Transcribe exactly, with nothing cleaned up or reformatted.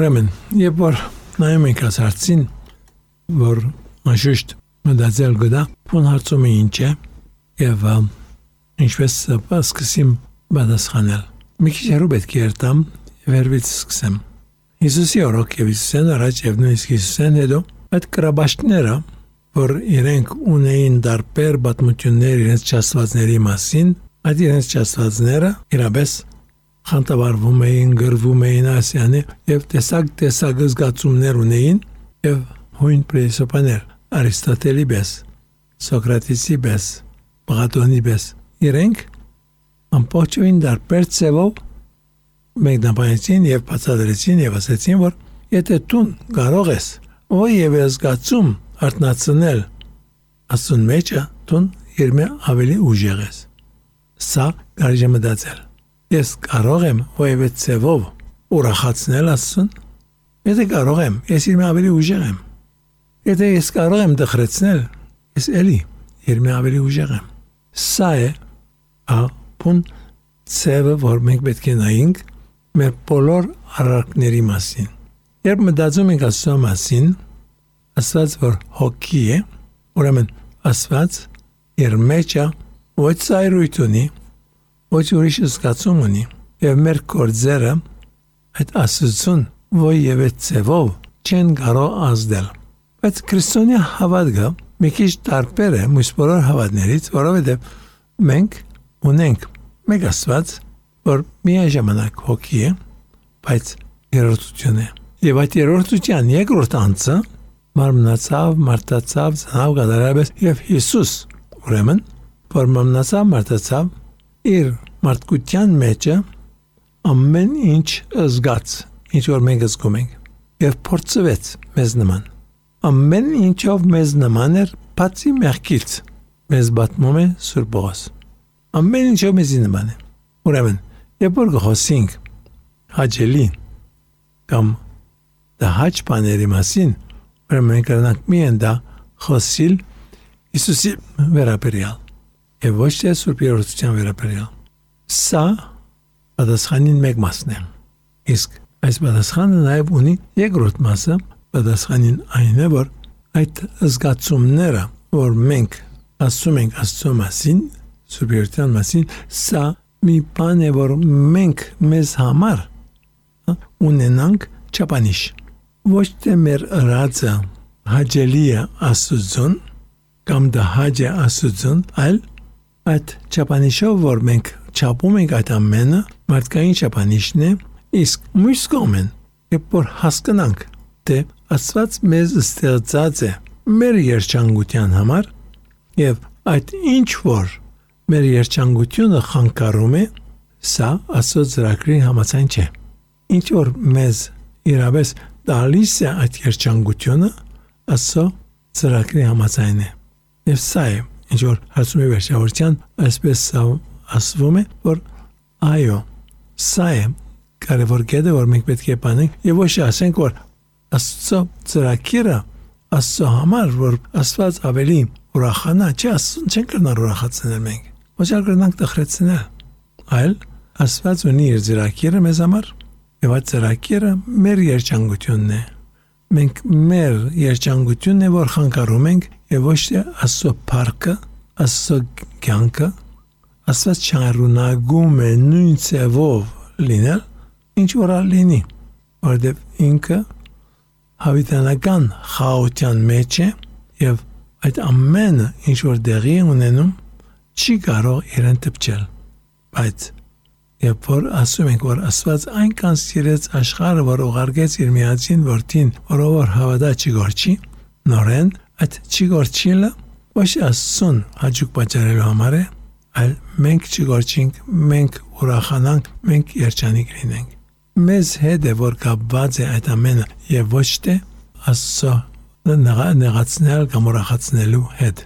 Ուրեմն, երբ որ նայում ենք այս հարցին, որ անշուշտ մտածել գտա, ո՞ն հարցումը ինչ է եւ ինչպես սկսեմ պատասխանել։ Մի քիչ հեռու պետք է երթամ եւ հերվից սկսեմ։ Հիսուսի օրոք եւ Հիսուսեն առաջ եւ նույնիսկ Հիսուսեն հետո այդ կրաբաշտները, որ իրենք ունեին դարբեր պատմություններ իրենց ճաստվածների մասին, այդ իրենց ճաստվածները իրապես խանդավառվում էին, գրվում էին ասյանի եւ տեսակ տեսակ զգացումներ ունեին եւ հույն պրեսոպաներ Արիստոտելի պես, Սոկրատեսի պես, Պլատոնի պես իրենք ամբողջովին դարբեր ձևով մեկնաբանեցին եւ բացատրեցին եւ ասացին, որ եթե դու կարող ես ո եւ զգացում արտնացնել ասուն մեջը, դու իրմե ավելի ուժեղ ես։ Սա կարելի է մտածել։ Ես կարող եմ ո եւ ձևով ուրախացնել ասուն։ Եթե կարող եմ, ես իրմե ավելի ուժեղ եմ։ Եթե ես կարող եմ դխրեցնել, ես էլի իրմե ավելի ուժեղ եմ։ Սա է ապուն ձևը, որ մենք պետք է նայենք մեր բոլոր արարքների մասին։ Երբ մտածում ենք Աստծո մասին, Աստված որ հոգի է, ուրեմն Աստված իր մեջը ոչ ծայրույթ ունի, ոչ ուրիշ զգացում ունի, եւ մեր գործերը այդ Աստծուն ոչ եւ ձևով չեն կարող ազդել։ Բայց քրիստոնյա հավատքը մի քիչ տարբեր է մյուս բոլոր հավատներից, որովհետեւ մենք ունենք մեկ Աստված, որ միաժամանակ հոգի է, բայց երրորդություն է։ Եվ այդ երրորդության երկրորդ անձը մարմնացավ, մարդացավ, ծնավ գադարաբես եւ Հիսուս, ուրեմն, որ մարմնացավ, մարդացավ, իր մարդկության մեջը ամեն ինչ զգաց, ինչ որ մենք զգում ենք, եւ փորձվեց մեզ նման։ Ամեն ինչով մեզ նման էր, բացի մեղքից, մեզ պատմում է Սուրբ Պողոս։ Ամեն ինչով մեզ նման է։ Ուրեմն, երբ որ խոսենք հաճելի կամ դահաճ բաների մասին, ուրեմն մենք կրնանք միայն դա խոսիլ Հիսուսի վերաբերյալ եւ ոչ թե Սուրբ Երրորդության վերաբերյալ։ Սա պատասխանին մեկ մասն է։ Իսկ այս պատասխանը նաեւ ունի երկրորդ մասը, պատասխանին այն է, որ այդ զգացումները, որ մենք ասում ենք Աստծո մասին, Սուրբ Երրորդության մասին, սա մի բան է, որ մենք մեզ համար ունենանք չափանիշ։ Ոչ թե մեր ըրածը հաճելի է Աստծուն կամ դա հաճ է Աստծուն, այլ այդ չափանիշով, որ մենք չափում ենք այդ ամենը, մարդկային չափանիշն է, իսկ մյուս կողմեն, երբ որ հասկանանք, թե Աստված մեզ ստեղծած է մեր երջանկության համար եւ այդ ինչ որ մեր երջանկությունը խանգարում է, սա Աստծո ծրագրի համաձայն չէ։ Ինչ որ մեզ իրապես տալիս է այդ երջանկությունը, Աստծո ծրագրի համաձայն է։ Եվ սա է, ինչ որ հարցումի վերջավորության այսպես ասվում է, որ այո, սա է կարևոր կետը, որ մենք պետք է բանենք եւ ոչ ասենք, որ Աստծո ծրագիրը Աստծո համար, որ Աստված ավելի ուրախանա, չէ, Աստծուն չեն կրնար ուրախացնել մենք, ոչ էլ կրնանք տխրեցնել, այլ Աստված ունի իր ծրագիրը մեզ համար եւ այդ ծրագիրը մեր երջանկությունն է։ Մենք մեր երջանկությունն է, որ խանգարում ենք եւ ոչ թե Աստծո փառքը, Աստծո կյանքը, Աստված չարունագում է նույն ձևով լինել, ինչ որ լինի, որովհետեւ ինքը հավիտենական խաղաղության մեջ է եւ այդ ամենը ինչ որ դեղի ունենում չի կարող իրեն տպչել։ Բայց երբ որ ասում ենք, որ Աստված այնքան սիրեց աշխարհը, որ ուղարկեց իր միածին որդին, որով որ հավատա չգորչի, նորեն այդ չգորչիլը ոչ Աստծուն հաճույք պատճառելու համար է, այլ մենք չգորչենք, մենք ուրախանանք, մենք երջանիկ լինենք։ Մեզ հետ է, որ կապված է այդ ամենը եւ ոչ թե Աստծո նեղացնել կամ ուրախացնելու հետ։